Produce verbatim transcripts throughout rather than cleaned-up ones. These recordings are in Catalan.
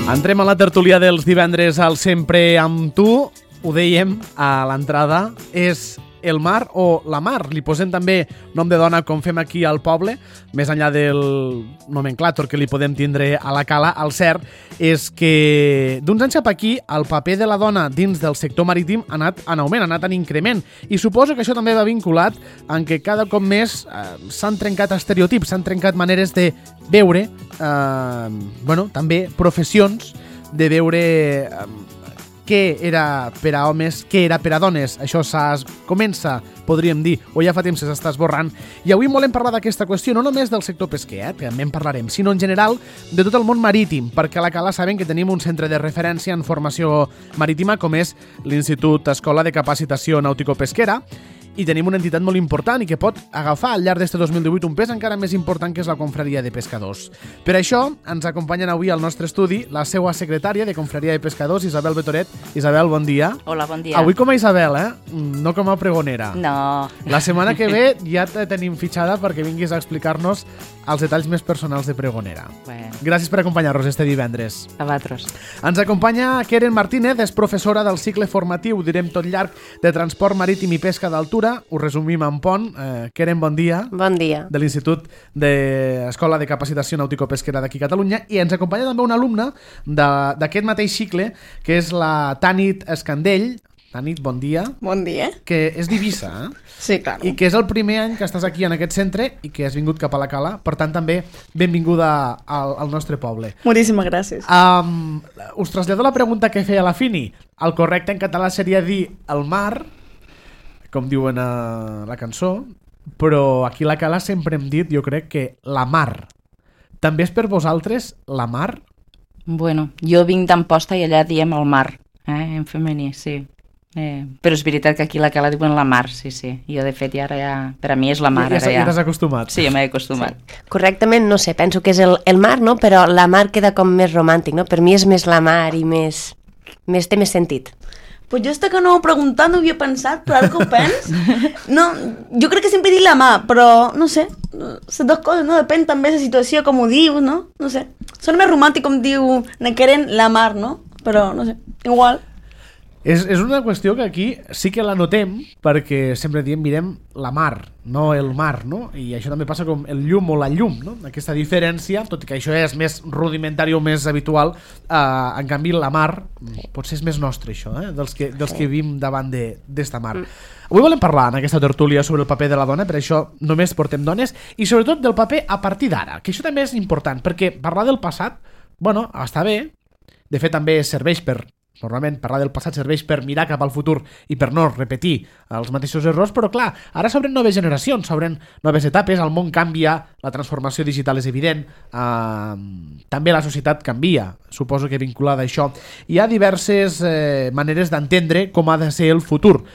Entrem a la tertúlia dels divendres al Sempre amb tu. Ho dèiem a l'entrada, és el mar o la mar. Li posem també nom de dona com fem aquí al poble, més enllà del nomenclàtor que li podem tindre a la cala. El cert és que d'uns anys cap aquí el paper de la dona dins del sector marítim ha anat en augment, ha anat en increment, i suposo que això també va vinculat en què cada cop més eh, s'han trencat estereotips, s'han trencat maneres de veure, eh, bueno, també professions, de veure eh, què era per a homes, què era per a dones. Això s'ha, comença, podríem dir, o ja fa temps que s'està esborrant. I avui volem parlar d'aquesta qüestió, no només del sector pesquer, eh, que també en parlarem, sinó en general de tot el món marítim, perquè a la Cala saben que tenim un centre de referència en formació marítima com és l'Institut Escola de Capacitació Nàutico-Pesquera, i tenim una entitat molt important i que pot agafar al llarg d'este dos mil divuit un pes encara més important, que és la Confraria de Pescadors. Per això ens acompanyen avui al nostre estudi la seva secretària de Confraria de Pescadors, Isabel Betoret. Isabel, bon dia. Hola, bon dia. Avui com a Isabel, eh? No com a pregonera. No. La setmana que ve ja te tenim fitxada perquè vinguis a explicar-nos els detalls més personals de pregonera. Bueno. Gràcies per acompanyar-nos este divendres. A vosaltres. Ens acompanya Keren Martínez, és professora del cicle formatiu, direm tot llarg, de transport marítim i pesca d'altura. Ho resumim en pont. Eh, Keren, bon dia. Bon dia. De l'Institut d'Escola de Capacitació Nàutico-Pesquera d'aquí a Catalunya. I ens acompanya també una alumna d'aquest mateix cicle, que és la Tanit Escandell. Tanit, bon dia. Bon dia. Que és d'Eivissa, eh? Sí, clar. I que és el primer any que estàs aquí en aquest centre i que has vingut cap a la Cala. Per tant, també benvinguda al, al nostre poble. Moltíssimes gràcies. Um, us trasllado la pregunta que feia la Fini. El correcte en català seria dir el mar, com diuen a la cançó, però aquí a la Cala sempre hem dit, jo crec, que la mar. També és per vosaltres la mar? Bueno, jo vinc d'Amposta i allà diem el mar, eh, en femení, sí. Eh, però és veritat que aquí a la Cala diuen la mar, sí, sí. Jo, de fet, ja ara ja... Per a mi és la mar, ja, ara ja. Ja t'has acostumat. Sí, ja m'he acostumat. Sí. Correctament, no sé, penso que és el, el mar, no? Però la mar queda com més romàntic, no? Per mi és més la mar i més... més té més sentit. Pues jo hasta que no ho he preguntat no ho havia pensat, però ara que ho pens... No, jo crec que sempre he dit la mà, però no sé, les dues coses, no? Depèn també de la situació, com ho dius, no? No sé. Sona més romàntic com diu Nequeren la mar, no? Però no sé, igual... És, és una qüestió que aquí sí que la notem, perquè sempre diem mirem la mar, no el mar, no? I això també passa com el llum o la llum, no? Aquesta diferència, tot i que això és més rudimentari o més habitual, eh, en canvi la mar potser és més nostre, això, eh? dels, que, dels que vivim davant d'esta mar. Avui volem parlar en aquesta tertúlia sobre el paper de la dona, per això només portem dones, i sobretot del paper a partir d'ara, que això també és important, perquè parlar del passat, bueno, està bé, de fet també serveix per... Normalment parlar del passat serveix per mirar cap al futur i per no repetir els mateixos errors, però clar, ara s'obren noves generacions, s'obren noves etapes, el món canvia, la transformació digital és evident, eh, també la societat canvia, suposo que vinculada a això. Hi ha diverses eh, maneres d'entendre com ha de ser el futur,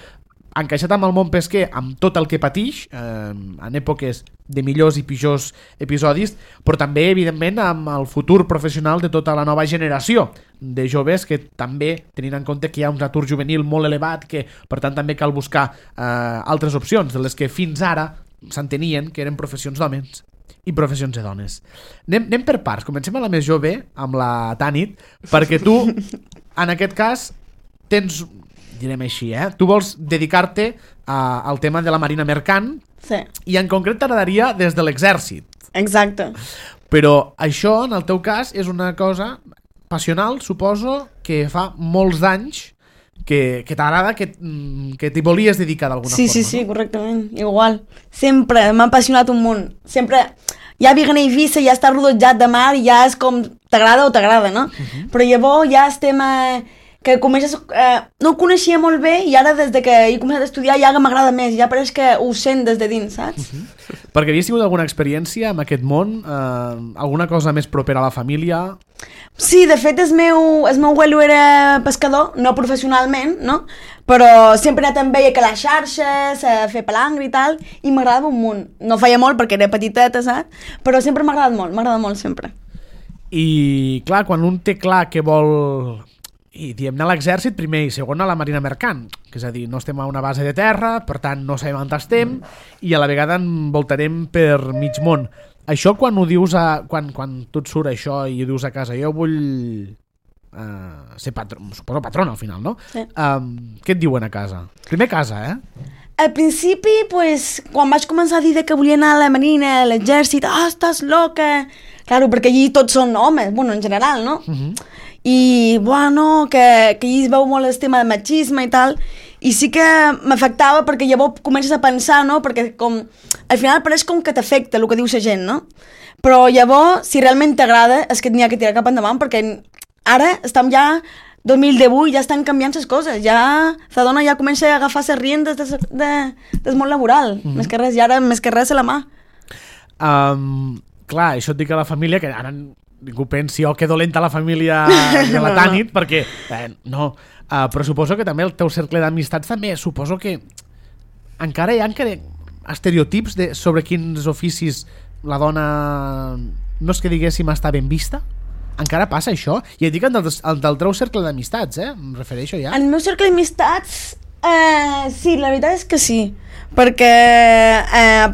encaixat amb el món pesquer, amb tot el que patix, eh, en èpoques de millors i pitjors episodis, però també, evidentment, amb el futur professional de tota la nova generació de joves, que també, tenint en compte que hi ha un atur juvenil molt elevat, que per tant també cal buscar eh, altres opcions, de les que fins ara s'entenien que eren professions d'homes i professions de dones. Anem, anem per parts, comencem a la més jove, amb la Tanit, perquè tu, en aquest cas, tens... direm així, eh? Tu vols dedicar-te a, al tema de la marina mercant, sí. I en concret t'agradaria des de l'exèrcit. Exacte. Però això, en el teu cas, és una cosa passional, suposo, que fa molts anys que, que t'agrada, que, que t'hi volies dedicar d'alguna sí, forma. Sí, sí, no? Correctament, igual. Sempre m'ha apassionat un munt. Sempre, ja vivint a Eivissa, ja està rodejat de mar, ja és com, t'agrada o t'agrada, no? Uh-huh. Però llavors ja estem... A... que comences, eh, no ho coneixia molt bé i ara des de que he començat a estudiar ja m'agrada més, ja pareix que ho sent des de dins, saps? Uh -huh. Perquè havies tingut alguna experiència amb aquest món? Eh, alguna cosa més propera a la família? Sí, de fet el meu, el meu abuelo era pescador, no professionalment, no? Però sempre he anat amb ell a calar xarxes, a fer palangre i tal, i m'agradava un munt. No feia molt perquè era petiteta, saps? Però sempre m'ha agradat molt, m'ha agradat molt sempre. I clar, quan un té clar que vol... I diem anar a l'exèrcit primer i segon a la marina mercant, que és a dir, no estem a una base de terra, per tant no sabem on estem i a la vegada envoltarem per mig món. Això quan ho dius a... quan, quan tu et surt això i ho dius a casa, jo vull uh, ser patró, suposo patrona al final, no? Sí. Um, què et diuen a casa? Primer casa, eh? Al principi, pues, quan vaig començar a dir que volia anar a la marina, a l'exèrcit, ah, oh, estàs loca... Claro, perquè allí tots són homes, bueno, en general, no? Uh -huh. I, bueno, que, que allí es veu molt el tema de machisme i tal, i sí que m'afectava perquè llavors comences a pensar, no? Perquè com, al final pareix com que t'afecta el que diu la gent, no? Però llavors, si realment t'agrada, és que n'hi ha que tirar cap endavant, perquè ara estem ja dos mil divuit, ja estan canviant les coses, ja la dona ja comença a agafar les riendes de, de, del món laboral, mm -hmm. més que res, i ara més que res a la mà. Um, clar, això et dic a la família, que ara ningú pensi, oh, que dolenta la família de la Tanit, no, no. perquè, eh, no, uh, però suposo que també el teu cercle d'amistats també, suposo que encara hi ha encara estereotips de, sobre quins oficis la dona, no és que diguéssim està ben vista? Encara passa això? I et dic el del, el del teu cercle d'amistats, eh? Em refereixo ja. En el meu cercle d'amistats, eh, sí, la veritat és que sí. Perquè eh,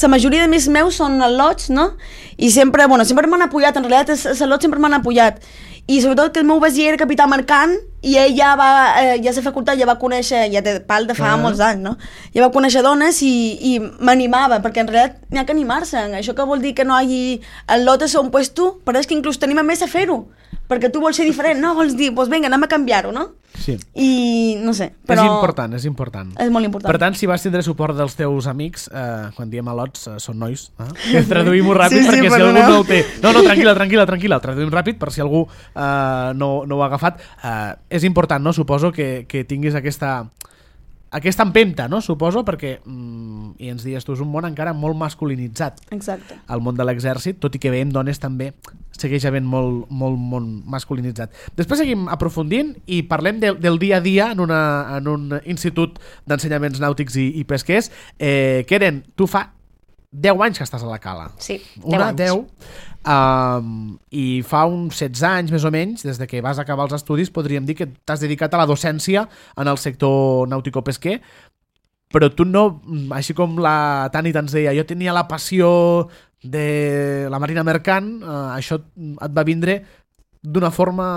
la majoria de més meus són al·lots, no? I sempre, bueno, sempre m'han apoyat, en realitat els al·lots sempre m'han apoyat. I sobretot que el meu besia era capità mercant i ell ja va, eh, ja a la facultat ja va conèixer, ja té pal de fa ah. molts anys, no? Ja va conèixer dones i, i m'animava, perquè en realitat n'hi ha que animar-se. Això que vol dir que no hi hagi al·lot a ser un puesto, però és que inclús t'anima més a fer-ho, perquè tu vols ser diferent, no? Vols dir, doncs vinga, anem a canviar-ho, no? Sí. I no sé, però... És important, és important. És molt important. Per tant, si vas tindre suport dels teus amics, eh, quan diem al·lots, eh, són nois, eh? Traduïm-ho ràpid, sí, sí, perquè si algú no. no ho té... No, no, tranquil·la, tranquil·la, tranquil·la, traduïm ràpid per si algú eh, no, no ho ha agafat. Eh, és important, no? Suposo que, que tinguis aquesta... aquesta empenta, no? Suposo, perquè, mm, i ens dies tu, és un món encara molt masculinitzat. Exacte. El món de l'exèrcit, tot i que veiem dones també, segueix havent molt, molt, molt masculinitzat. Després seguim aprofundint i parlem de, del dia a dia en, una, en un institut d'ensenyaments nàutics i, i pesquers. Eh, Keren, tu fa deu anys que estàs a la Cala. Sí, deu Una, anys. deu. Um, I fa uns setze anys, més o menys, des de que vas acabar els estudis, podríem dir que t'has dedicat a la docència en el sector nàutico-pesquer, però tu no, així com la Tanit ens deia, jo tenia la passió de la marina mercant, uh, això et va vindre d'una forma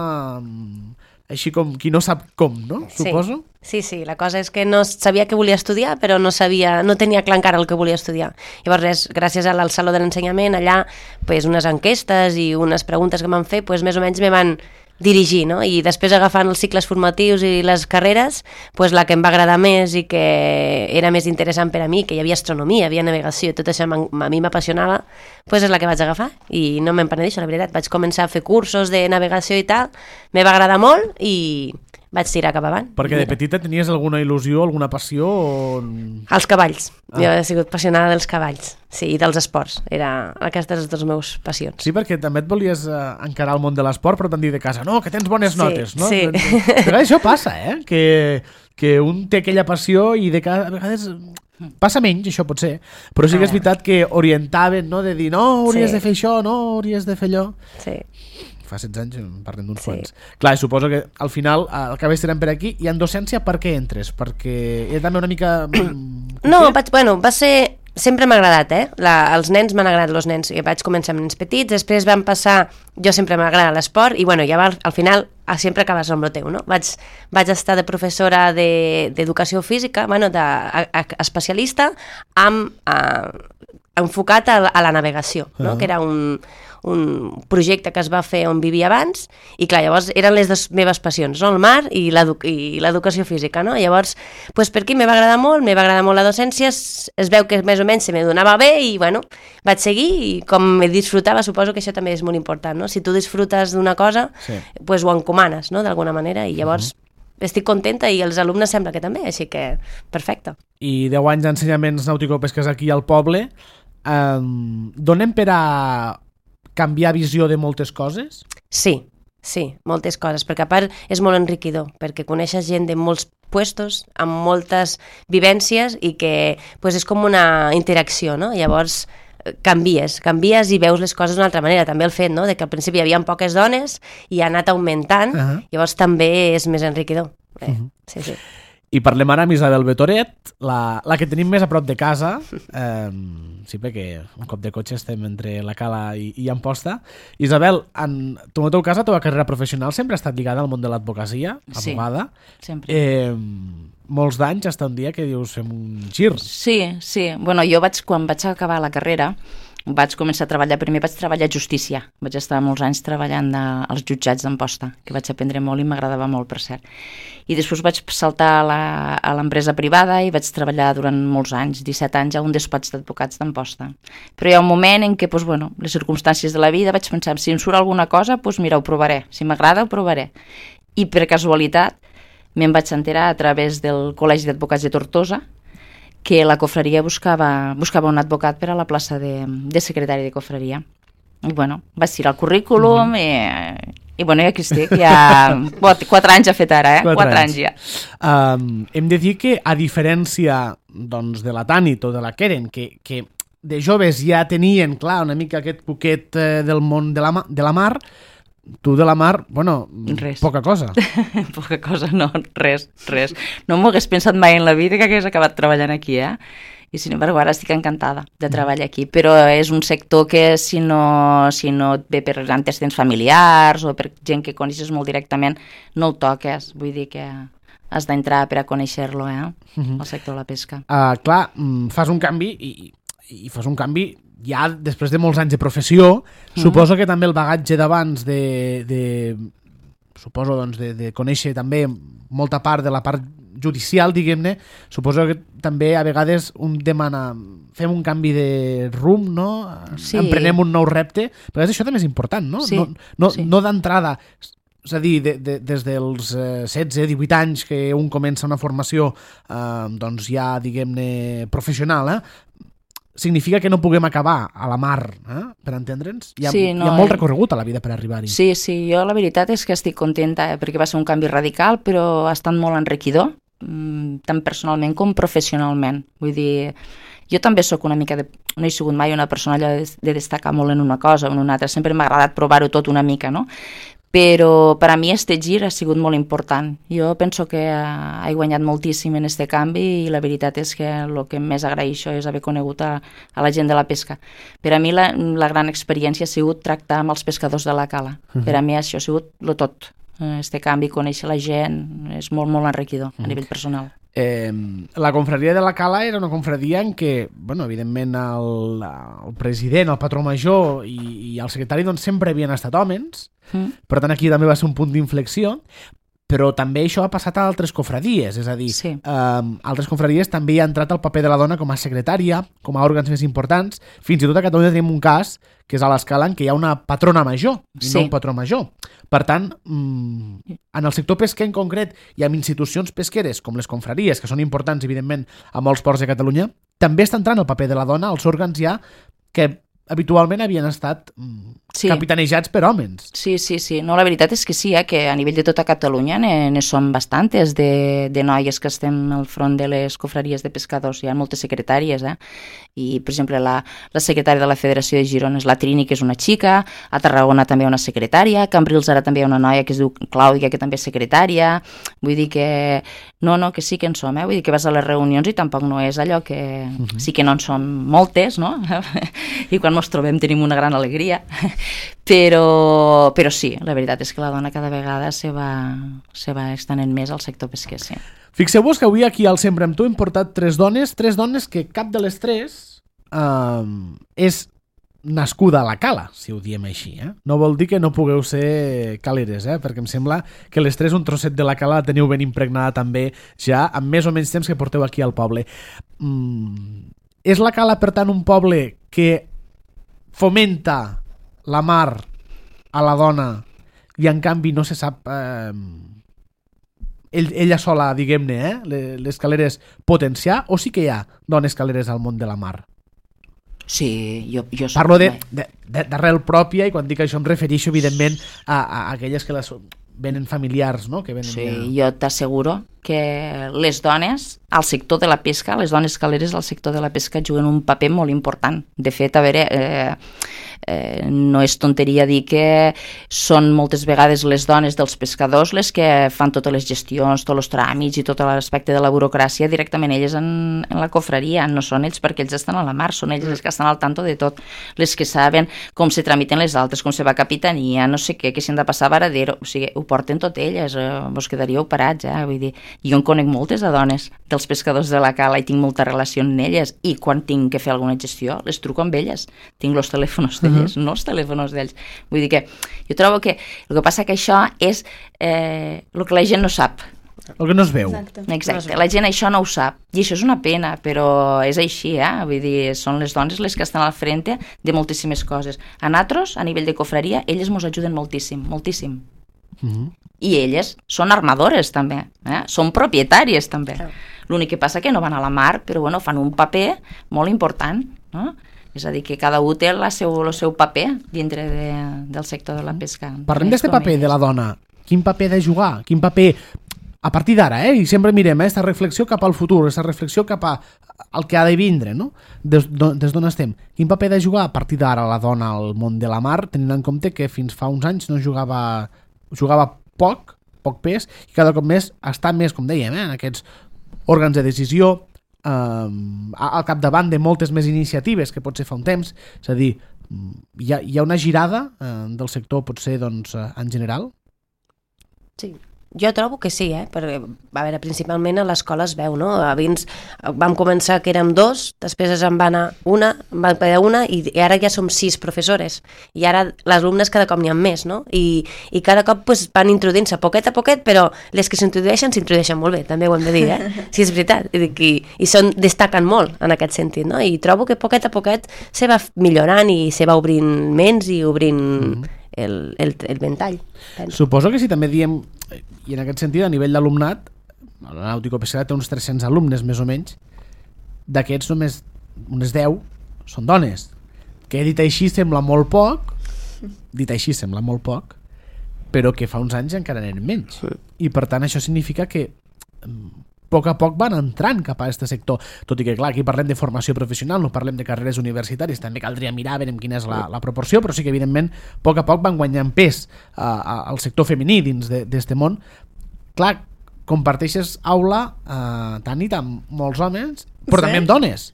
així com qui no sap com, no? Sí. Suposo? Sí, sí, la cosa és que no sabia que volia estudiar, però no sabia, no tenia clar encara el que volia estudiar. Llavors, res, gràcies al Saló de l'Ensenyament, allà, pues, unes enquestes i unes preguntes que m'han fet, pues, més o menys me van dirigir, no? I després agafant els cicles formatius i les carreres, pues, la que em va agradar més i que era més interessant per a mi, que hi havia astronomia, hi havia navegació, i tot això a mi m'apassionava, pues és la que vaig agafar i no me'n penedeixo, la veritat. Vaig començar a fer cursos de navegació i tal, me va agradar molt i vaig tirar cap avant. Perquè de petita tenies alguna il·lusió, alguna passió? O... Els cavalls. Ah. Jo he sigut apassionada dels cavalls. Sí, i dels esports. Era aquestes les meves passions. Sí, perquè també et volies eh, encarar el món de l'esport, però t'han dit de casa, no, que tens bones sí, notes, no? Sí. A vegades això passa, eh? Que, que un té aquella passió i de cada... a vegades passa menys, això pot ser, però sí que és veritat que orientaven, no? De dir, no, hauries sí. de fer això, no, hauries de fer allò. Sí. Fa setze anys parlem d'uns Sí. quants. Clar, suposo que al final el que estarem per aquí. I en docència per què entres? Perquè era també una mica... No, vaig, bueno, va ser... Sempre m'ha agradat, eh? La, els nens m'han agradat, els nens. I vaig començar amb nens petits, després vam passar... Jo sempre m'ha agradat l'esport i, bueno, ja va, al final sempre acabes amb el teu, no? Vaig, vaig estar de professora d'educació de, física, bueno, de, a, a, especialista, amb, a, enfocat a, a la navegació, no? Uh-huh. Que era un... un projecte que es va fer on vivia abans i clar, llavors eren les dues meves passions, no? El mar i l'educació física, no? Llavors, pues, per aquí me va agradar molt, me va agradar molt la docència, es, es veu que més o menys se me donava bé i bueno, vaig seguir i com me disfrutava, suposo que això també és molt important, no? Si tu disfrutes d'una cosa, sí. Pues ho encomanes, no? D'alguna manera, i llavors uh-huh. estic contenta i els alumnes sembla que també, així que perfecte. I deu anys d'ensenyaments nàutico-pesques aquí al poble, um, donem per a canviar visió de moltes coses? Sí, sí, moltes coses, perquè a part és molt enriquidor, perquè coneixes gent de molts puestos, amb moltes vivències i que pues, és com una interacció, no? Llavors canvies, canvies i veus les coses d'una altra manera. També el fet, no?, de que al principi hi havia poques dones i ha anat augmentant, uh-huh. Llavors també és més enriquidor. Eh, uh-huh. Sí, sí. I parlem ara amb Isabel Betoret, la, la que tenim més a prop de casa, eh, sí, perquè un cop de cotxe estem entre la Cala i, i Amposta. Isabel, en tu, en el teu cas, la teva carrera professional sempre ha estat lligada al món de l'advocacia, abogada. Sí, sempre. Eh, molts d'anys, hasta un dia que dius fem un gir. Sí, sí. Bueno, jo vaig, quan vaig acabar la carrera, vaig començar a treballar, primer vaig treballar a justícia, vaig estar molts anys treballant de, als jutjats d'Amposta, que vaig aprendre molt i m'agradava molt, per cert. I després vaig saltar a, la, a l'empresa privada i vaig treballar durant molts anys, disset anys, a un despatx d'advocats d'Amposta. Però hi ha un moment en què, doncs, bueno, les circumstàncies de la vida, vaig pensar, si em surt alguna cosa, doncs mira, ho provaré, si m'agrada ho provaré. I per casualitat me'n vaig enterar a través del Col·legi d'Advocats de Tortosa que la cofreria buscava, buscava un advocat per a la plaça de, de secretari de cofreria. I bueno, vaig tirar el currículum mm. i, i bueno, i aquí estic, ja quatre anys ha fet ara, eh? Quatre, quatre anys. anys ja. Um, hem de dir que, a diferència doncs, de la Tanit o de la Keren, que, que de joves ja tenien, clar, una mica aquest poquet eh, del món de la, de la mar, tu de la mar, bueno, res. Poca cosa. Poca cosa, no, res, res. No m'ho hagués pensat mai en la vida que hagués acabat treballant aquí, eh? I sin embargo, ara estic encantada de treballar aquí, però és un sector que si no, si no et ve per antecedents familiars o per gent que coneixes molt directament, no el toques, vull dir que has d'entrar per a conèixer-lo, eh? Uh-huh. El sector de la pesca. Uh, clar, fas un canvi i, i fas un canvi ja després de molts anys de professió, mm. suposo que també el bagatge d'abans de, de suposo doncs de, de conèixer també molta part de la part judicial, diguem-ne, suposo que també a vegades un demana fem un canvi de rumb, no? Sí. Emprenem un nou repte, però això també és important, no? Sí. No, no, sí. no d'entrada, és a dir, de, de, des dels eh, setze, divuit anys que un comença una formació eh, doncs ja, diguem-ne, professional, eh? Significa que no puguem acabar a la mar, eh? Per entendre'ns. Hi ha, sí, no, hi ha molt eh... recorregut a la vida per arribar-hi. Sí, sí, jo la veritat és que estic contenta, eh? Perquè va ser un canvi radical, però ha estat molt enriquidor, tant personalment com professionalment. Vull dir, jo també sóc una mica de... no he sigut mai una persona allò de, de destacar molt en una cosa o en una altra, sempre m'ha agradat provar-ho tot una mica, no? Però per a mi este gir ha sigut molt important. Jo penso que he guanyat moltíssim en este canvi i la veritat és que el que més agraeixo és haver conegut a, a la gent de la pesca. Per a mi la, la gran experiència ha sigut tractar amb els pescadors de la Cala. Uh-huh. Per a mi això ha sigut lo tot. Este canvi, conèixer la gent, és molt, molt enriquidor uh-huh. a nivell personal. Eh, la confraria de la Cala era una confraria en què, bueno, evidentment el, el president, el patró major i, i el secretari doncs, sempre havien estat homes, mm. per tant aquí també va ser un punt d'inflexió, però també això ha passat a altres confradies, és a dir, sí. eh, altres confradies també hi ha entrat el paper de la dona com a secretària, com a òrgans més importants, fins i tot a Catalunya tenim un cas que és a l'Escala en què hi ha una patrona major i sí. no un patró major. Per tant, mmm, en el sector pesquer en concret i amb institucions pesqueres com les confraries, que són importants evidentment a molts ports de Catalunya, també està entrant el paper de la dona als òrgans ja que habitualment havien estat sí. capitanejats per homes. Sí, sí, sí. No, la veritat és que sí, eh, que a nivell de tota Catalunya ne, ne som bastantes de, de noies que estem al front de les confraries de pescadors. Hi ha moltes secretàries, eh? I, per exemple, la, la secretària de la Federació de Girona és la Trini, que és una xica, a Tarragona també hi ha una secretària, a Cambrils ara també hi ha una noia que es diu Clàudia, que també és secretària. Vull dir que... No, no, que sí que en som, eh? Vull dir que vas a les reunions i tampoc no és allò que... Uh-huh. Sí que no en som moltes, no? I quan ens trobem tenim una gran alegria, però, però sí, la veritat és que la dona cada vegada se va, se va extenent més al sector pesquer, sí. Fixeu-vos que avui aquí al Sempre amb tu hem portat tres dones, tres dones que cap de les tres eh, és nascuda a la Cala, si ho diem així. Eh? No vol dir que no pugueu ser caleres, eh? Perquè em sembla que les tres un trosset de la Cala la teniu ben impregnada també ja amb més o menys temps que porteu aquí al poble. Mm, és la Cala, per tant, un poble que fomenta la mar a la dona i en canvi no se sap eh, ell, ella sola, diguem-ne, eh, les caleres potenciar, o sí que hi ha dones caleres al món de la mar? Sí, jo, jo soc... Parlo d'arrel pròpia i quan dic això em refereixo evidentment a, a aquelles que les venen familiars, no? Que venen sí, ja... jo t'asseguro que les dones al sector de la pesca, les dones caleres al sector de la pesca juguen un paper molt important. De fet, a veure, eh, eh, no és tonteria dir que són moltes vegades les dones dels pescadors les que fan totes les gestions, tots els tràmits i tot l'aspecte de la burocràcia directament elles en, en la cofreria, no són ells perquè ells estan a la mar, són ells les que estan al tanto de tot, les que saben com se tramiten les altres, com se va a capitania, no sé què, que s'han de passar a Varadero, o sigui, ho porten tot elles, eh, vos quedaríeu parats, eh? Vull dir, jo en conec moltes de dones dels pescadors de la cala i tinc molta relació amb elles, i quan tinc que fer alguna gestió, les truco amb elles, tinc els telèfons d'elles, uh-huh. no els telèfons d'ells. Vull dir que jo trobo que el que passa que això és eh, el que la gent no sap. El que no es veu. Exacte. Exacte. La gent això no ho sap. I això és una pena, però és així, eh? Vull dir, són les dones les que estan al frente de moltíssimes coses. A nosaltres, a nivell de cofreria, elles ens ajuden moltíssim, moltíssim. Uh-huh. I elles són armadores també, eh? Són propietàries també. Clar. L'únic que passa que no van a la mar, però bueno, fan un paper molt important, no? És a dir, que cada un té el seu, el seu paper dintre de, del sector de la pesca. Parlem d'aquest paper de la dona. Quin paper de jugar? Quin paper, a partir d'ara, eh? I sempre mirem aquesta eh? reflexió cap al futur, aquesta reflexió cap a, al que ha de vindre, no? Des, des d'on estem. Quin paper de jugar a partir d'ara la dona al món de la mar, tenint en compte que fins fa uns anys no jugava, jugava poc, poc pes, i cada cop més està més, com dèiem, eh? en aquests òrgans de decisió, Um, al capdavant de moltes més iniciatives que potser fa un temps, és a dir, hi ha, hi ha una girada uh, del sector potser doncs, uh, en general? Sí, jo trobo que sí, eh? Perquè, a veure, principalment a l'escola es veu, no? Abans vam començar que érem dos, després en va anar una, en va quedar una, i, i ara ja som sis professores, i ara les alumnes cada cop n'hi ha més, no? I, i cada cop pues, van introduint-se poquet a poquet, però les que s'introdueixen s'introdueixen molt bé, també ho hem de dir, eh? Sí, és veritat, i, i, i són, destaquen molt en aquest sentit, no? I trobo que poquet a poquet se va millorant i se va obrint ments i obrint mm-hmm. el, el, el ventall. Penso. Suposo que si també diem, i en aquest sentit a nivell d'alumnat, la Nàutico-Pesquera té uns tres-cents alumnes més o menys, d'aquests només unes deu són dones, que dit així sembla molt poc, dit així sembla molt poc, però que fa uns anys encara n'eren menys, i per tant això significa que a poc a poc van entrant cap a aquest sector, tot i que clar, aquí parlem de formació professional, no parlem de carreres universitàries, també caldria mirar, veure quina és la, la proporció, però sí que evidentment a poc a poc van guanyant pes uh, al sector femení dins d'aquest món. Clar, comparteixes aula uh, Tanit amb molts homes, però sí. també amb dones.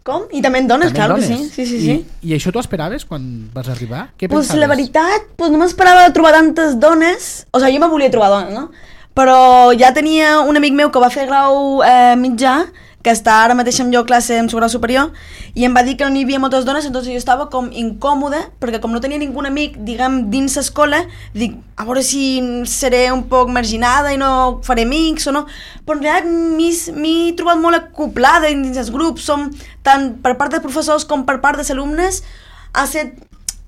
Com? I també en dones, clar que sí. sí, sí, sí. I, I això t'ho esperaves quan vas arribar? Què pues pensaves? La veritat, pues no m'esperava trobar tantes dones, o sigui, jo me volia trobar dones, no? Però ja tenia un amic meu que va fer grau eh, mitjà, que està ara mateix amb jo a classe en su grau superior, i em va dir que no hi havia moltes dones, doncs jo estava com incòmode, perquè com no tenia ningú amic, diguem, dins l'escola, dic, a veure si seré un poc marginada i no faré amics o no, però en realitat m'he trobat molt acoplada dins els grups, som tant per part dels professors com per part dels alumnes, ha estat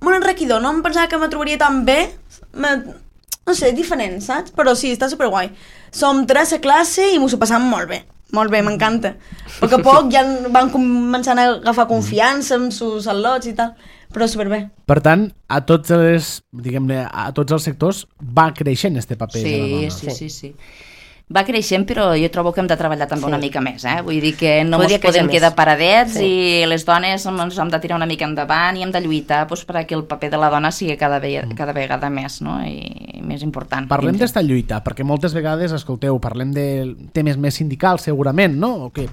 molt enriquidor, no em pensava que me trobaria tan bé, me... no sé, diferent, saps? Però sí, està superguai. Som tres a classe i m'ho passam molt bé. Molt bé, m'encanta. A poc a poc ja van començant a agafar confiança amb sus al·lots i tal, però superbé. Per tant, a tots els, diguem-ne, a tots els sectors va creixent este paper sí, de la dona. Sí, sí, sí, sí. Va creixent, però jo trobo que hem de treballar també sí. una mica més, eh? Vull dir que no ens podem quedar paradets sí. i les dones ens hem de tirar una mica endavant i hem de lluitar doncs, perquè el paper de la dona sigui cada, ve cada vegada més, no? I més important. Parlem d'esta lluita, perquè moltes vegades, escolteu, parlem de temes més sindicals, segurament, no? O que,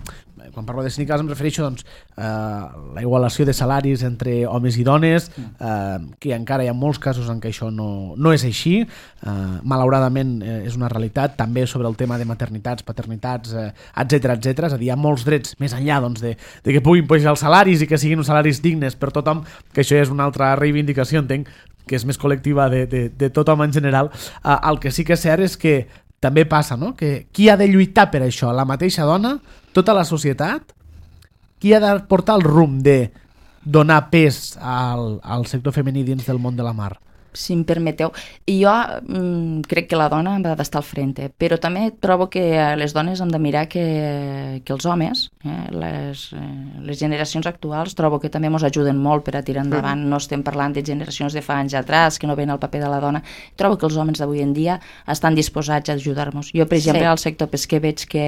quan parlo de sindicals em refereixo doncs, a la igualació de salaris entre homes i dones, eh, que encara hi ha molts casos en què això no, no és així, eh, malauradament eh, és una realitat, també sobre el tema de maternitats, paternitats, eh, etcètera, etcètera. És a dir, hi ha molts drets més enllà doncs, de, de que puguin pujar els salaris i que siguin uns salaris dignes per tothom, que això és una altra reivindicació, entenc, que és més col·lectiva de, de, de tothom en general. Eh, el que sí que és cert és que també passa, no? Que qui ha de lluitar per això? La mateixa dona? Tota la societat? Qui ha de portar el rumb de donar pes al, al sector femení dins del món de la mar? si em permeteu. I jo mm, crec que la dona ha d'estar al frente, però també trobo que les dones hem de mirar que, que els homes, eh, les, eh, les generacions actuals, trobo que també ens ajuden molt per a tirar endavant. No estem parlant de generacions de fa anys atrás, que no ven el paper de la dona. Trobo que els homes d'avui en dia estan disposats a ajudar-nos. Jo, per exemple, sí. al sector pesquer veig que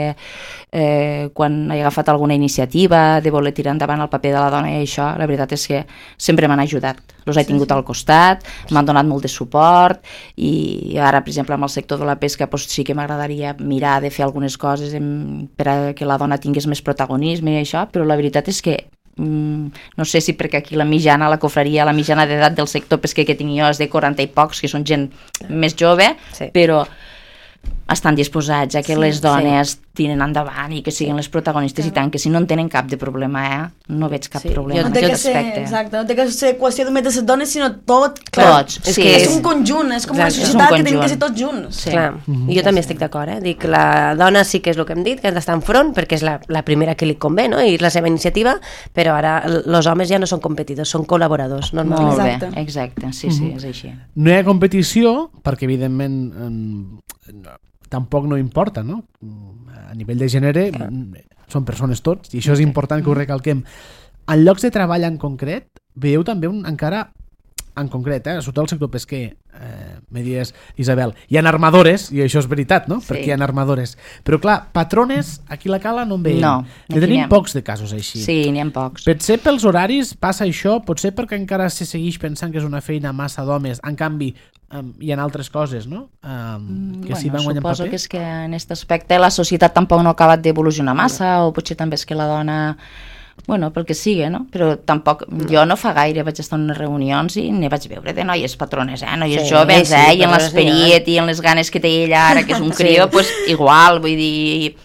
eh, quan he agafat alguna iniciativa de voler tirar endavant el paper de la dona i això, la veritat és que sempre m'han ajudat. Els he tingut sí, sí. al costat, m'han donat molt de suport i ara, per exemple, amb el sector de la pesca doncs sí que m'agradaria mirar de fer algunes coses en, per a que la dona tingués més protagonisme i això, però la veritat és que mm, no sé si perquè aquí la mitjana, la cofreria, la mitjana d'edat del sector pesquer que tinc jo és de quaranta i pocs, que són gent més jove, sí. però estan disposats a que sí, les dones sí. tiren endavant i que siguin les protagonistes, sí. i tant, que si no en tenen cap de problema, eh? No veig cap sí. problema. No té, que ser, exacte, no té que ser qüestió només de les dones, sinó tot. Tots, és, sí. que és un conjunt, és com exacte. Una societat que tenim que ser tots junts. Sí. Clar. Mm-hmm. I jo també estic d'acord, eh? Dic, la dona sí que és el que hem dit, que ha d'estar en front, perquè és la, la primera que li convé, no? I és la seva iniciativa, però ara els homes ja no són competidors, són col·laboradors. Normalment. Molt exacte. bé, exacte, sí, sí, és així. No hi ha competició, perquè evidentment no, tampoc no importa, no? A nivell de gènere clar. Són persones tots, i això és important que ho recalquem. En llocs de treball en concret, veieu també un, encara en concret, eh, sobretot el sector pesquer, eh, me dies, Isabel, hi ha armadores, i això és veritat, no? Sí. Perquè hi ha armadores. Però clar, patrones, aquí a la cala no en veiem. No, ne tenim pocs de casos així. Sí, n'hi ha pocs. Potser pels horaris passa això, potser perquè encara se segueix pensant que és una feina massa d'homes, en canvi um, hi ha altres coses, no? Um, que bueno, sí van guanyant suposo paper. que és que en aquest aspecte la societat tampoc no ha acabat d'evolucionar massa, o potser també és que la dona... Bueno, pel que sigui, no? Però tampoc... Jo no fa gaire vaig estar en unes reunions i ne vaig veure de noies patrones, eh? Noies sí, joves, sí, eh? I en l'esperit i en les ganes que té ella ara, que és un crió, sí. pues igual, vull dir...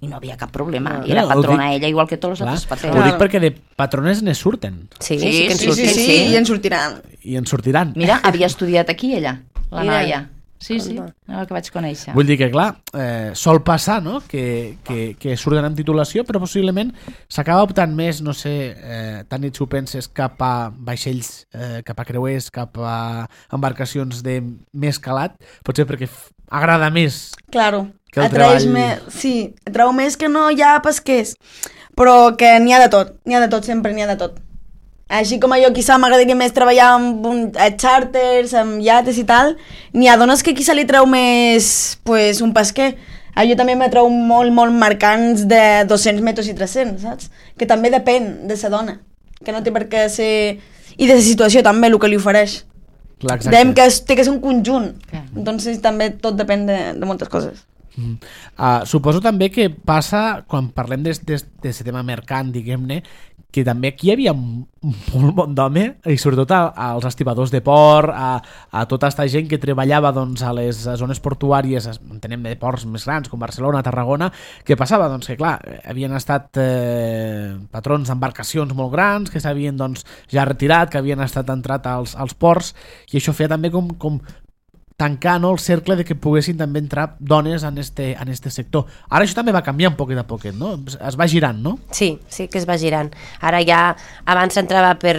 I no havia cap problema. No, I era patrona dic, ella, igual que tots els altres patrons. Ho dic perquè de patrones ne surten. Sí, sí, sí, que en sí, surten, sí, sí, sí. I en sortiran. I en sortiran. Mira, havia estudiat aquí ella, la Mira. noia. Sí, sí, el que vaig conèixer. Vull dir que, clar, eh, sol passar, no?, que, que, que surten amb titulació, però possiblement s'acaba optant més, no sé, eh, tant si ho penses, cap a vaixells, eh, cap a creuers, cap a embarcacions de més calat, potser perquè f- agrada més. Claro, que el atraeix treball... més, sí, atrau més que no hi ha pesquers, però que n'hi ha de tot, n'hi ha de tot, sempre n'hi ha de tot. Així com a jo quizà m'agradaria més treballar amb un, a charters, amb iates i tal, n'hi ha dones que quizà li treu més pues, un pesquer. A jo també m'atreu molt, molt marcants de dos-cents metres i tres-cents, saps? Que també depèn de la dona, que no té per què ser... I de la situació també, el que li ofereix. Clar, Dèiem que és, té que ser un conjunt, Clar. entonces també tot depèn de, de moltes coses. Mm. Uh, suposo també que passa, quan parlem d'aquest tema mercant, diguem-ne, que també aquí hi havia un, un molt bon d'home, i sobretot a, als estibadors de port, a, a tota aquesta gent que treballava doncs, a les zones portuàries, entenem de ports més grans, com Barcelona, Tarragona, que passava doncs, que clar, havien estat eh, patrons d'embarcacions molt grans, que s'havien doncs, ja retirat, que havien estat entrat als, als ports, i això feia també com, com tancar, no, el cercle de que poguessin també entrar dones en este, en este sector. Ara això també va canviar un poquet a poquet, no? Es va girant, no? Sí, sí que es va girant. Ara ja, abans s'entrava per...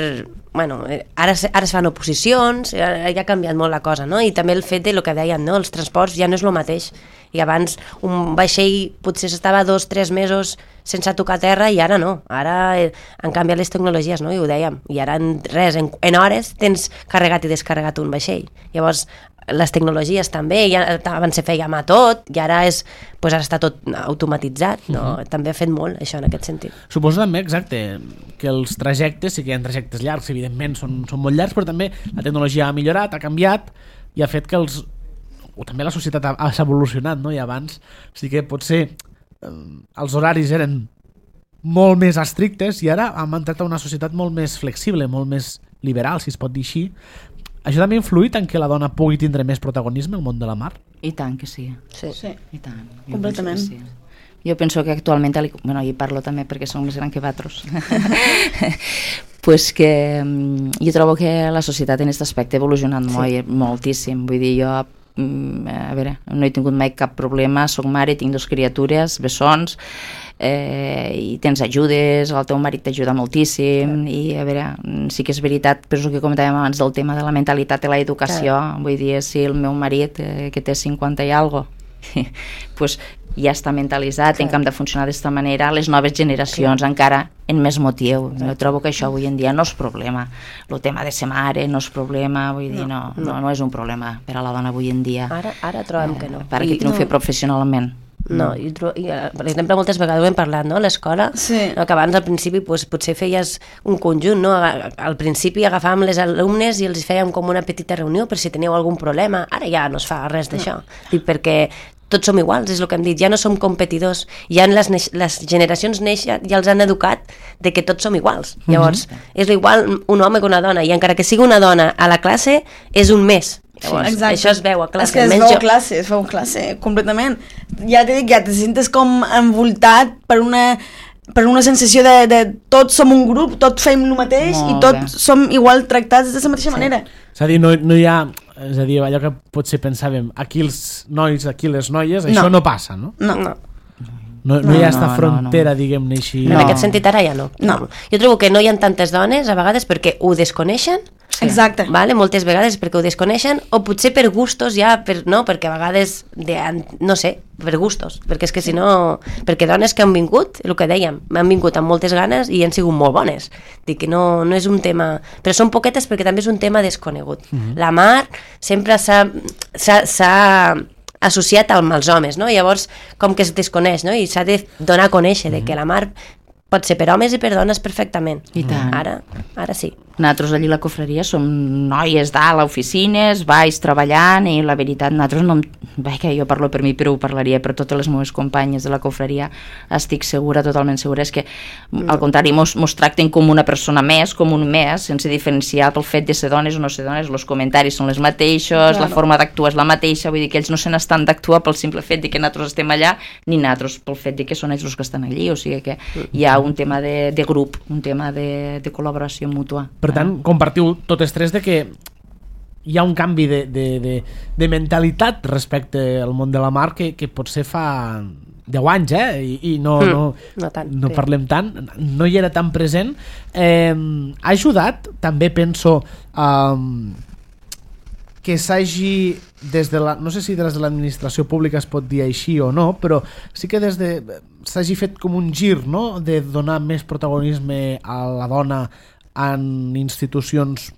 Bueno, ara, ara es fan oposicions, ja ha canviat molt la cosa, no? I també el fet de lo que deien, no? Els transports ja no és el mateix. I abans un vaixell potser s'estava dos, tres mesos sense tocar terra i ara no. Ara han canviat les tecnologies, no? I ho dèiem. I ara en res, en, en hores tens carregat i descarregat un vaixell. Llavors, les tecnologies també, ja, abans se feia mà tot i ara és, pues ara està tot automatitzat, no? Uh-huh. També ha fet molt això en aquest sentit. Suposo també, exacte, que els trajectes, sí que hi ha trajectes llargs, evidentment són, són molt llargs, però també la tecnologia ha millorat, ha canviat i ha fet que els... o també la societat ha, ha evolucionat, no? I abans sí que potser eh, els horaris eren molt més estrictes i ara hem entrat a una societat molt més flexible, molt més liberal, si es pot dir així. Això també ha influït en que la dona pugui tindre més protagonisme al món de la mar? I tant que sí. Sí. Sí. I tant. Jo Completament. penso que sí. Jo penso que actualment, bueno, hi parlo també perquè som més gran que vosaltres, pues que jo trobo que la societat en aquest aspecte ha evolucionat sí. molt, moltíssim. Vull dir, jo a veure, no he tingut mai cap problema, soc mare, tinc dos criatures, bessons, eh, i tens ajudes, el teu marit t'ajuda moltíssim, i a veure, sí que és veritat, però és el que comentàvem abans del tema de la mentalitat i l'educació, vull dir, si el meu marit, eh, que té cinquanta i algo, pues ja està mentalitzat en que hem de funcionar d'esta manera, les noves generacions encara en més motiu. Jo trobo que això avui en dia no és problema. El tema de ser mare no és problema, vull dir, no, no, no és un problema per a la dona avui en dia. Ara, ara trobem que no. Per a qui no ho fer professionalment. No, i, i, per exemple, moltes vegades ho hem parlat, no?, a l'escola, sí. no, que abans al principi pues, potser feies un conjunt, no? Al principi agafàvem les alumnes i els fèiem com una petita reunió per si teníeu algun problema. Ara ja no es fa res d'això, no. Perquè tots som iguals, és el que hem dit, ja no som competidors, ja les, les generacions neixen, ja els han educat de que tots som iguals. Llavors, mm-hmm. és igual un home que una dona, i encara que sigui una dona a la classe, és un més. Llavors, sí, això es veu a classe. És que es veu a classe, es veu a classe, completament. Ja t'he dit, ja te sentes com envoltat per una, per una sensació de, de tots som un grup, tots fem el mateix Molt i tots bé. Som igual tractats de la mateixa sí. manera. És a dir, no, no hi ha... És a dir, allò que potser pensàvem, aquí els nois, aquí les noies, això no, no passa, no? No, no. No, no, no hi ha aquesta no, frontera, no, no. diguem-ne així. En no. aquest sentit ara ja no. no. Jo trobo que no hi ha tantes dones a vegades perquè ho desconeixen, sí. Exacte. Vale? Moltes vegades perquè ho desconeixen, o potser per gustos ja, per, no? Perquè a vegades, de, no sé, per gustos, perquè és que si no... Perquè dones que han vingut, el que dèiem, han vingut amb moltes ganes i han sigut molt bones. Dic que no, no és un tema... Però són poquetes perquè també és un tema desconegut. Mm-hmm. La mar sempre s'ha... s'ha associat amb els homes, no? Llavors, com que es desconeix, no? I s'ha de donar a conèixer de que la mar pot ser per homes i per dones perfectament. I tant. Ara, ara sí. Nosaltres allí a la cofreria som noies dalt a oficines, baix treballant, i la veritat, nosaltres no... Bé, que jo parlo per mi, però ho parlaria per totes les meves companyes de la cofreria, estic segura, totalment segura, és que no. al contrari, mos, mos tracten com una persona més, com un més, sense diferenciar pel fet de ser dones o no ser dones, els comentaris són les mateixos, claro. La forma d'actuar és la mateixa, vull dir que ells no se n'estan d'actuar pel simple fet de que nosaltres estem allà, ni nosaltres pel fet de que són ells els que estan allí, o sigui que hi ha un tema de, de grup, un tema de, de col·laboració mútua. Per tant, compartiu totes tres de que hi ha un canvi de, de, de, de mentalitat respecte al món de la mar que, que potser fa deu anys, eh? I, i no, mm, no, no, tant, no parlem tant, no hi era tan present. Eh, ha ajudat, també penso, um, que s'hagi des de la, no sé si des de l'administració pública es pot dir així o no, però sí que des de s'hagi fet com un gir, no?, de donar més protagonisme a la dona en institucions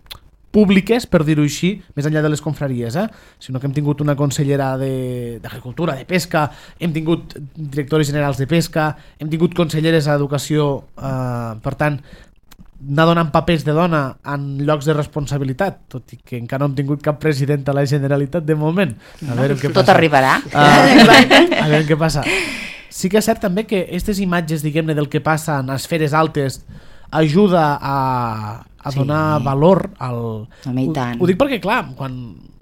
públiques, per dir-ho així, més enllà de les confraries, eh? Sinó que hem tingut una consellera d'Agricultura, de, de Pesca, hem tingut directores generals de Pesca, hem tingut conselleres d'Educació, eh, per tant, anar donant papers de dona en llocs de responsabilitat, tot i que encara no hem tingut cap president a la Generalitat de moment. A veure què Tot passa. arribarà. Uh, a veure què passa. Sí que és cert també que aquestes imatges, diguem-ne, del que passa en esferes altes ajuda a, a donar sí. valor al... Home, i tant. Ho, ho dic perquè, clar, quan,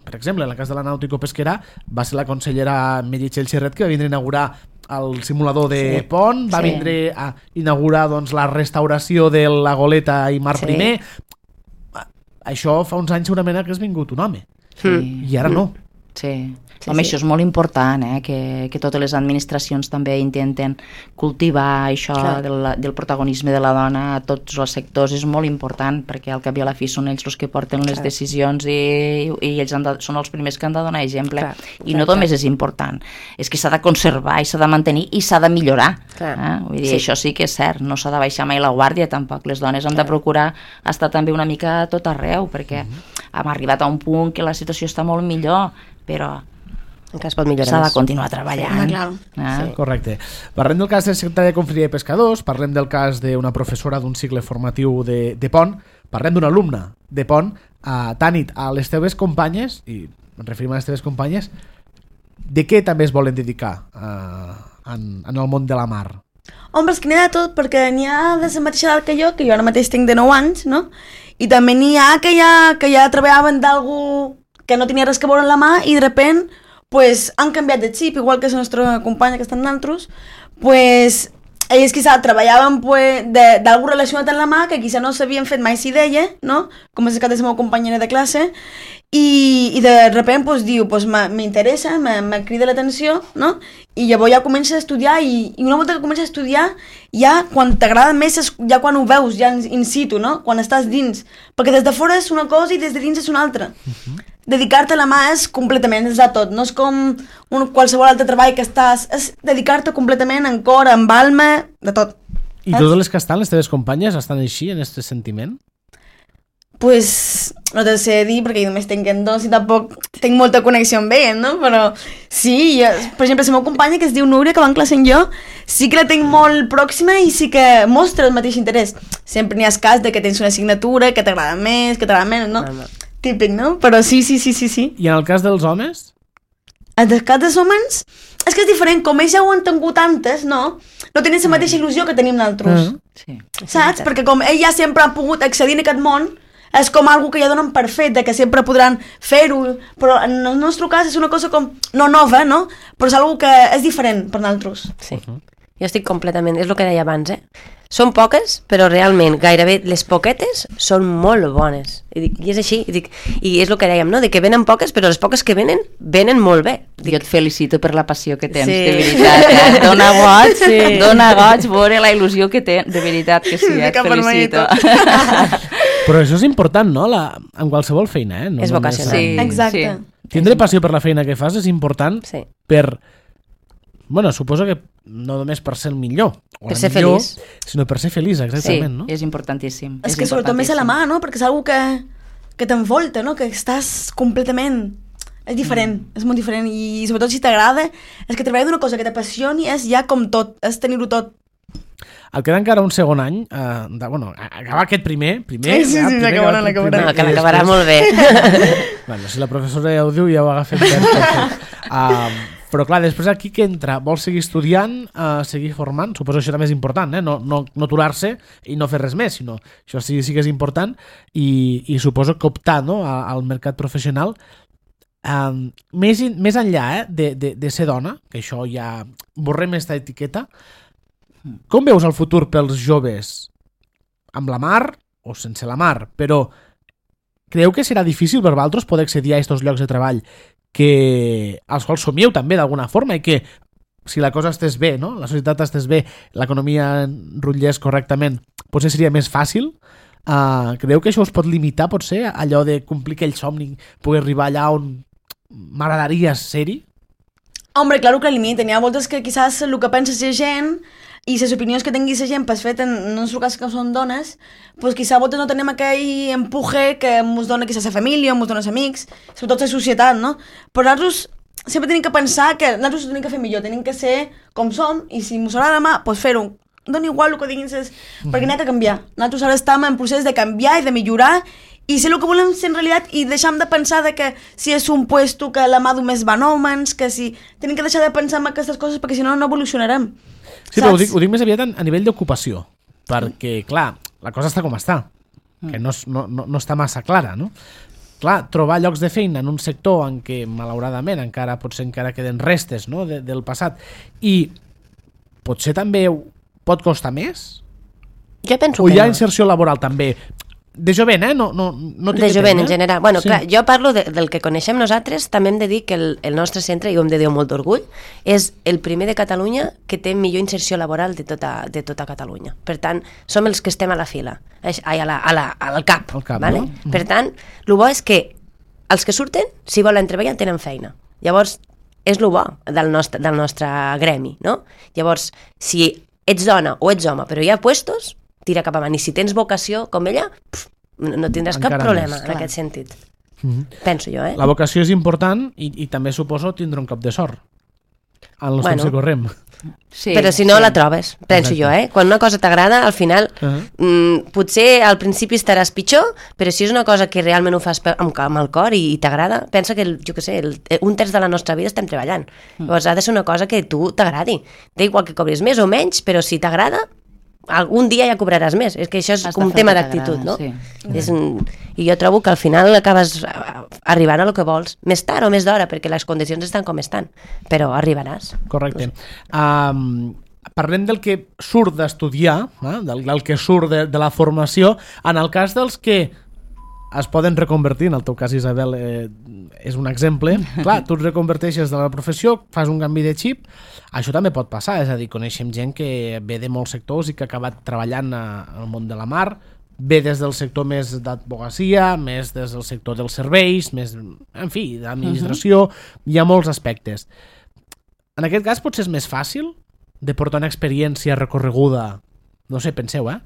per exemple, en el cas de la Nàutico Pesquera, va ser la consellera Meritxell Serret que va vindre a inaugurar el simulador de sí. pont, va sí. vindre a inaugurar doncs, la restauració de la goleta i mar sí. primer. Això fa uns anys segurament que has vingut un home. Sí. I ara no. Sí. Sí, Home, sí. Això és molt important, eh? que, que totes les administracions també intenten cultivar això del, del protagonisme de la dona a tots els sectors. És molt important perquè al cap i a la fi són ells els que porten les clar. decisions i, i ells han de, són els primers que han de donar exemple. Clar. I no clar, només clar. és important, és que s'ha de conservar i s'ha de mantenir i s'ha de millorar. Eh? Vull dir, sí. Això sí que és cert, no s'ha de baixar mai la guàrdia tampoc. Les dones han clar. de procurar estar també una mica a tot arreu perquè mm-hmm. hem arribat a un punt que la situació està molt millor, però encara es pot millorar s'ha de més. continuar treballant. Sí, ah. sí. Correcte. Parlem del cas del secretari de Confraria de Pescadors, parlem del cas d'una professora d'un cicle formatiu de, de Pont, parlem d'un alumne de Pont. Uh, Tanit, a les teves companyes, i ens referim a les teves companyes, de què també es volen dedicar uh, en, en el món de la mar? Home, és que n'hi ha de tot, perquè n'hi ha de la mateixa edat que jo, que jo ara mateix tinc de nou anys, no? I també n'hi ha que ja, que ja treballaven d'algú que no tenia res que veure en la mà i de repent pues han canviat de xip, igual que la nostra companya que està en nosaltres, pues ells quizà treballaven pues, d'algú relacionat amb la mà que quizà no s'havien fet mai si deia, no? Com és el cas de la meva companyera de classe, i, i de repente pues, diu, pues, m'interessa, me, me crida l'atenció, no? I llavors ja comences a estudiar i, i una volta que comences a estudiar, ja quan t'agrada més és ja quan ho veus, ja in situ, no? Quan estàs dins. Perquè des de fora és una cosa i des de dins és una altra. Uh-huh. Dedicar-te a la mà és completament, és de tot. No és com un, qualsevol altre treball que estàs... És dedicar-te completament en cor, amb alma, de tot. I totes les que estan, les teves companyes, estan així, en aquest sentiment? Pues no te sé dir perquè jo només tinc en dos i tampoc tinc molta connexió amb ell, no? Però sí, jo, per exemple, la meva companya que es diu Núria, que va en classe amb jo, sí que la tinc molt pròxima i sí que mostra el mateix interès. Sempre n'hi ha cas de que tens una assignatura que t'agrada més, que t'agrada menys, no? no, no. Típic, no? Però sí, sí, sí, sí, sí. I en el cas dels homes? En el cas dels homes és que és diferent, com ells ja ho han tingut antes, no? No tenen la mateixa il·lusió que tenim nosaltres. Mm. Sí. Saps? Perquè com ells ja sempre han pogut accedir a aquest món, és com algo que ja donen per fet, de que sempre podran fer-ho, però en el nostre cas és una cosa com, no nova, no? Però és algo que és diferent per nosaltres. Sí, uh-huh. Jo estic completament, és el que deia abans, eh? Són poques, però realment gairebé les poquetes són molt bones. I, dic, i és així, i, dic, i és el que dèiem, no? De que venen poques, però les poques que venen, venen molt bé. Dic, jo et felicito per la passió que tens, sí. De veritat, eh? Dona goig, sí. Dona goig veure la il·lusió que tens, de veritat que sí, et felicito. Però això és important, no? La, en qualsevol feina, eh? No, és vocacional. Sí, exacte. Sí. Tindre passió per la feina que fas és important sí. per... Bueno, suposo que no només per ser el millor, o per la ser millor, feliç. Sinó per ser feliç, exactament, sí, no? És importantíssim. És, és que sobretot més a la mà, no? Perquè és una que, que t'envolta, no? Que estàs completament... És diferent, mm. és molt diferent. I sobretot si t'agrada, és que treballar d'una cosa que t'apassioni és ja com tot, és tenir-ho tot. El queda encara un segon any, eh, de, bueno, acabar aquest primer, primer... Sí, sí, sí, l'acabarà, l'acabarà. No, que l'acabarà molt bé. Bueno, si la professora ja ho diu, ja ho ha agafat ben. Uh, però clar, després aquí que entra, vol seguir estudiant, uh, seguir formant, suposo que això també és important, eh? no, no, no aturar-se i no fer res més, sinó això sí, sí que és important i, i suposo que optar, no, al mercat professional. Um, més, més enllà eh, de, de, de ser dona, que això ja borrem aquesta etiqueta, com veus el futur pels joves amb la mar o sense la mar? Però creu que serà difícil per vosaltres poder accedir a aquests llocs de treball que, als quals somieu també d'alguna forma i que si la cosa estés bé, no? La societat estés bé, l'economia rutllés correctament, potser seria més fàcil? Uh, creu que això us pot limitar, potser, allò de complir aquell somni, poder arribar allà on m'agradaria ser-hi? Hombre, claro que limiten. Hi ha voltes que quizás el que pensa la gent i les opinions que tingui la gent, pues, fet en, en el cas que són dones, pues, quizá a voltes no tenim aquell empuje que ens dona quizás la família o ens dona els amics, sobretot la societat, no? Però nosaltres sempre tenim que pensar que nosaltres ho tenim que fer millor, tenim que ser com som i si ens agrada demà, pues, fer-ho. Dona igual el que diguin, ses... mm-hmm. perquè n'hi ha que canviar. Nosaltres ara estem en procés de canviar i de millorar i ser el que volem ser en realitat i deixem de pensar de que si és un puesto que la mà només van homes, que si... Tenim que deixar de pensar en aquestes coses perquè si no no evolucionarem. Sí, saps? Però ho dic, ho dic més aviat a, a nivell d'ocupació, perquè, clar, la cosa està com està, que no, no, no, no està massa clara, no? Clar, trobar llocs de feina en un sector en què, malauradament, encara potser encara queden restes, no?, de, del passat, i potser també pot costar més? Jo penso o que hi ha no. Inserció laboral també? De jovent, eh? No, no, no de jovent, en general. Bueno, sí. Clar, jo parlo de, del que coneixem nosaltres, també hem de dir que el, el nostre centre, i ho hem de dir amb molt d'orgull, és el primer de Catalunya que té millor inserció laboral de tota, de tota Catalunya. Per tant, som els que estem a la fila, ai, a la, a la, al cap. Al cap, vale? No? Per tant, el bo és que els que surten, si volen treballar, tenen feina. Llavors, és el bo del nostre, del nostre gremi, no? Llavors, si ets dona o ets home, però hi ha puestos, tira cap avant. I si tens vocació com ella, pf, no tindràs encara cap problema més, en aquest sentit. Mm-hmm. Penso jo, eh? La vocació és important i, i també suposo tindre un cop de sort en els bueno, temps que correm. Sí, però si no sí. La trobes, penso Exacte. Jo, eh? Quan una cosa t'agrada, al final uh-huh. mm, potser al principi estaràs pitjor, però si és una cosa que realment ho fas amb, amb el cor i, i t'agrada, pensa que, el, jo què sé, el, un terç de la nostra vida estem treballant. Mm. Llavors ha de ser una cosa que tu t'agradi. Da igual que cobris més o menys, però si t'agrada, algun dia ja cobraràs més. És que això és com un tema d'actitud, no? Sí. És un... I jo trobo que al final acabes arribant a lo que vols, més tard o més d'hora, perquè les condicions estan com estan, però arribaràs. Correcte. Um, parlem del que surt d'estudiar, eh? del, del que surt de, de la formació. En el cas dels que es poden reconvertir, en el teu cas, Isabel, eh, és un exemple. Clar, tu et reconverteixes de la professió, fas un canvi de xip, això també pot passar, és a dir, coneixem gent que ve de molts sectors i que ha acabat treballant al món de la mar, ve des del sector més d'advocacia, més des del sector dels serveis, més, en fi, d'administració, uh-huh. Hi ha molts aspectes. En aquest cas potser és més fàcil de portar una experiència recorreguda, no sé, penseu, eh?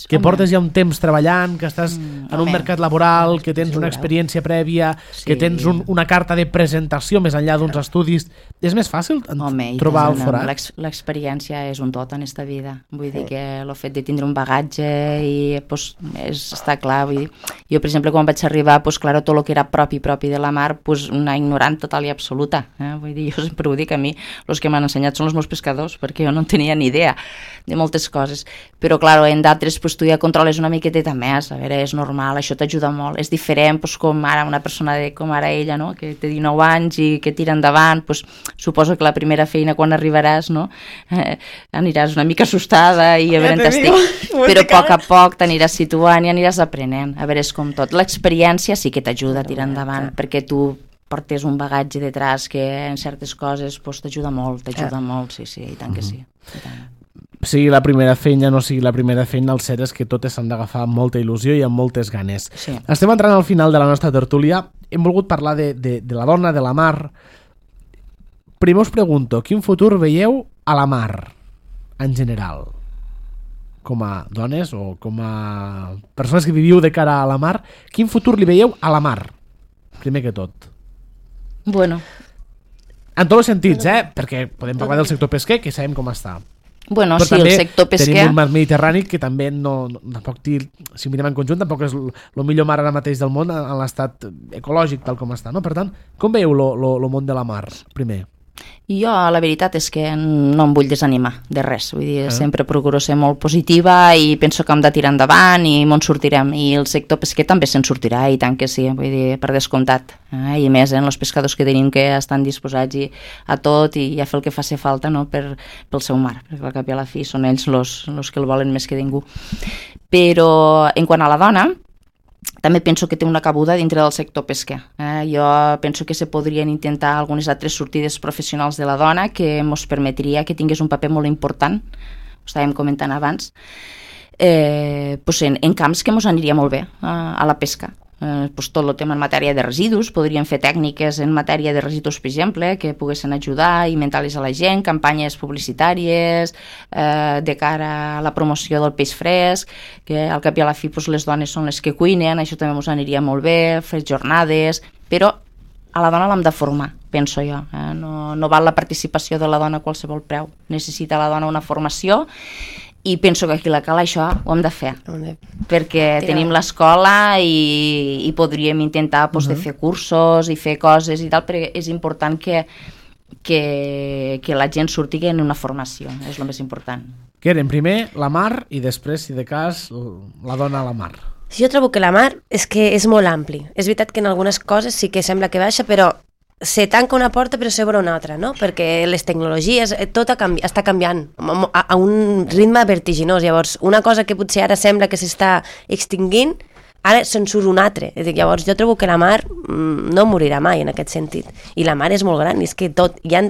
Que home. Portes ja un temps treballant, que estàs mm, en un home. mercat laboral, que tens una experiència prèvia, sí. Que tens un, una carta de presentació més enllà d'uns estudis. És més fàcil home, trobar el forat? L'experiència és un tot en esta vida. Vull dir que el fet de tindre un bagatge i, pues, és, està clar. Vull dir, jo, per exemple, quan vaig arribar, pues, claro, tot el que era propi, propi de la mar, pues, una ignorant total i absoluta. Eh? Vull dir, jo sempre ho dic, a mi, els que m'han ensenyat són els meus pescadors, perquè jo no en tenia ni idea de moltes coses. Però, clar, en d'altres, pues, tu ja controles una miqueteta més, a veure, és normal, això t'ajuda molt, és diferent, pues, com ara una persona de, com ara ella, no? Que té dinou anys i que tira endavant, pues, suposo que la primera feina quan arribaràs, no? Eh, aniràs una mica assustada i a veure on t'estic, però a poc a poc t'aniràs situant i aniràs aprenent, a veure, és com tot, l'experiència sí que t'ajuda a tirar endavant, perquè tu portes un bagatge detrás que en certes coses pues, t'ajuda molt, t'ajuda molt, sí, sí, i tant que sí, i tant. Sigui la primera feina, no sigui la primera feina, el cert és que totes s'han d'agafar amb molta il·lusió i amb moltes ganes. Sí. Estem entrant al final de la nostra tertúlia. Hem volgut parlar de, de, de la dona, de la mar. Primer us pregunto, quin futur veieu a la mar, en general? Com a dones o com a persones que viviu de cara a la mar, quin futur li veieu a la mar? Primer que tot. Bueno. En tots els sentits, eh? Perquè podem parlar del sector pesquer, que sabem com està. Bueno, però sí, el sector pesquer... tenim un mar mediterrani que també no, no tampoc, si mirem en conjunt, tampoc és el millor mar ara mateix del món en l'estat ecològic tal com està, no? Per tant, com veieu el món de la mar, primer? Jo, la veritat és que no em vull desanimar de res, vull dir, eh? sempre procuro ser molt positiva i penso que hem de tirar endavant i m'on sortirem, i el sector pesquer també se'n sortirà, i tant que sí, vull dir, per descomptat, eh? I més, eh, els pescadors que tenim que estan disposats i, a tot i a fer el que faci falta, no? per, pel seu mar, perquè al cap i a la fi són ells els que el volen més que ningú. Però en quant a la dona, també penso que té una cabuda dintre del sector pesquer. Eh? Jo penso que se podrien intentar algunes altres sortides professionals de la dona que ens permetria que tingués un paper molt important, ho estàvem comentant abans, eh, pues en, en camps que ens aniria molt bé eh, a la pesca. Eh, pues tot el tema en matèria de residus, podríem fer tècniques en matèria de residus, per exemple, que poguessin ajudar i mentar-les a la gent, campanyes publicitàries eh, de cara a la promoció del peix fresc, que al cap i a la fi pues, les dones són les que cuinen, això també ens aniria molt bé, fer jornades, però a la dona l'hem de formar, penso jo. Eh? No, no val la participació de la dona a qualsevol preu. Necessita la dona una formació i penso que aquí la cal això ho hem de fer, perquè tenim l'escola i, i podríem intentar pues, uh-huh. de fer cursos i fer coses i tal, perquè és important que, que, que la gent surti en una formació, és el més important. Keren, primer la mar i després, si de cas, la dona a la mar. Jo trobo que la mar és que és molt ampli. És veritat que en algunes coses sí que sembla que baixa, però se tanca una porta però s'obre una altra, no? Perquè les tecnologies, tot canvi, està canviant a, a un ritme vertiginós. Llavors, una cosa que potser ara sembla que s'està extinguint, ara se'n surt un altre. Llavors, jo trobo que la mar mm, no morirà mai en aquest sentit. I la mar és molt gran, és que tot hi ha,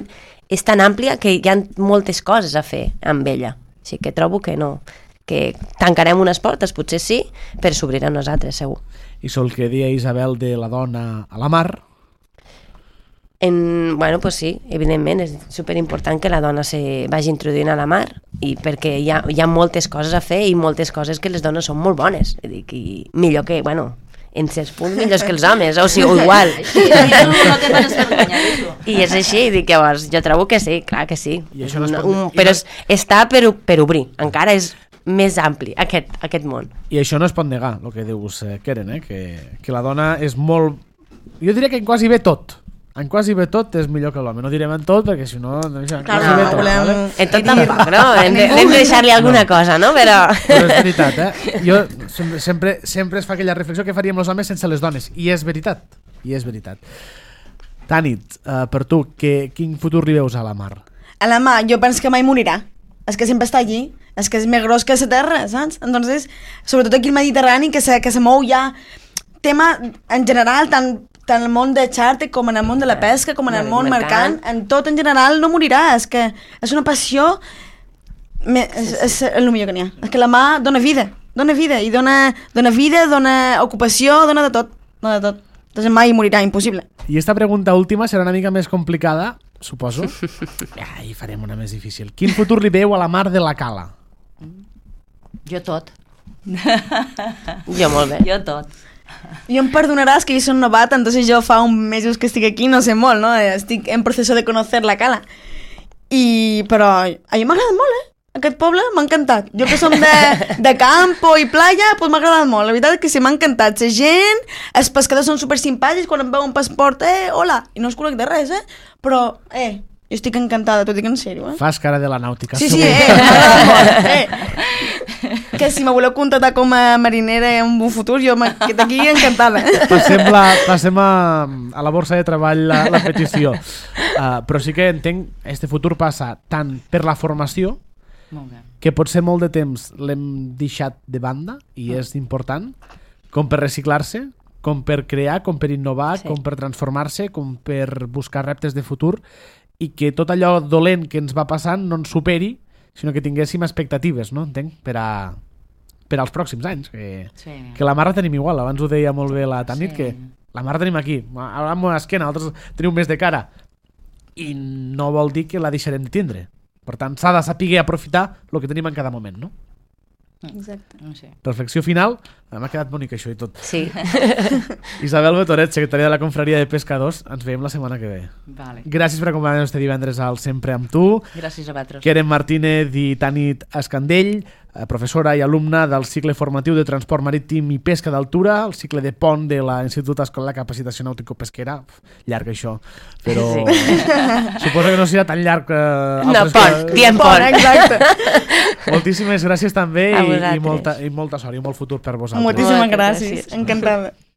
és tan àmplia que hi ha moltes coses a fer amb ella. Així que trobo que no, que tancarem unes portes, potser sí, però s'obriran unes altres, segur. I sol que dia Isabel de la dona a la mar... En, bueno, pues sí, evidentment és superimportant que la dona se vagi introduint a la mar, i perquè hi ha, hi ha moltes coses a fer i moltes coses que les dones són molt bones, dic, i millor que, bueno, en certs punts millors que els homes, o sigui, o igual. No te pares vergonya, I és així, dic, llavors, jo trobo que sí, clar que sí. I això no es pot... un, però és, està per, per obrir, encara és més ampli aquest, aquest món. I això no es pot negar, el que dius, eh, Keren, eh? que, que la dona és molt... Jo diria que quasi bé tot. En quasi bé tot és millor que l'home. No direm en tot, perquè si no... no Clar, no, bé tot, volem... vale? En tot tampoc, no? Hem de, hem de deixar-li alguna no. cosa, no? Però... Però és veritat, eh? Jo sempre, sempre, sempre es fa aquella reflexió que faríem els homes sense les dones. I és veritat. I és veritat. Tanit, uh, per tu, que, quin futur li veus a la mar? A la mar, jo penso que mai morirà. És que sempre està allí. És que és més gros que la terra, saps? Entonces, sobretot aquí al Mediterrani, que se, que se mou ja... tema en general, tant, tant el món de xàrter com en el món de la pesca, com en el món mercant, en tot en general no morirà. És que és una passió, me, és, és el millor que n'hi ha. És que la mà dona vida, dona vida, i dona, dona vida, dona ocupació, dona de tot, dona de tot. Entonces mai morirà, impossible. I esta pregunta última serà una mica més complicada, suposo. Ja, hi farem una més difícil. Quin futur li veu a la Mar de la Cala? Jo tot. Jo molt bé. Jo tot. I em perdonaràs que jo soc novata, entonces jo fa uns mesos que estic aquí, no sé molt, no? Estic en procés de conocer la Cala. I, però a mi m'ha agradat molt, eh? Aquest poble m'ha encantat. Jo que som de, de campo i playa, doncs m'ha agradat molt. La veritat és que sí, m'ha encantat. La gent, els pescadors són super simpàtics, quan em veu un passaport, eh, hola, i no us conec de res, eh? Però, eh, jo estic encantada, t'ho dic en sèrio, eh? Fas cara de la nàutica. Sí, sí, eh, m'ha agradat molt, eh? Que si me voleu contratar com a marinera en un futur, jo d'aquí encantada. Passem, la, passem a, a la borsa de treball la, la petició. Uh, però sí que entenc, este futur passa tant per la formació, Molt bé. que potser molt de temps l'hem deixat de banda i és important, com per reciclar-se, com per crear, com per innovar, Sí. com per transformar-se, com per buscar reptes de futur, i que tot allò dolent que ens va passant no ens superi, sinó que tinguéssim expectatives, no? Entenc, per a per als pròxims anys, que, Sí. que la mar la tenim igual. Abans ho deia molt bé la Tanit, Sí. que la mar la tenim aquí, ara amb l'esquena, altres tenim més de cara, i no vol dir que la deixarem de tindre. Per tant, s'ha de saber aprofitar el que tenim en cada moment, no? Exacte. No sé. Reflexió final. M'ha quedat bonic això i tot. Sí. Isabel Betoret, secretària de la Confraria de Pescadors, ens veiem la setmana que ve. Vale. Gràcies per acompanyar-nos este divendres al Sempre amb tu. Gràcies a vosaltres. Keren Martínez i Tanit Escandell, professora i alumna del cicle formatiu de transport marítim i pesca d'altura, el cicle de pont de l'Institut Escolar de Capacitació Nàutico-Pesquera. Llarg això, però Sí. suposo que no serà tan llarg que No, altres pont, que- diem pont. Exacte. Moltíssimes gràcies també A i, i, vosaltres. molta, i molta sort i molt futur per vosaltres. Moltíssimes Moltes gràcies. gràcies. Encantada.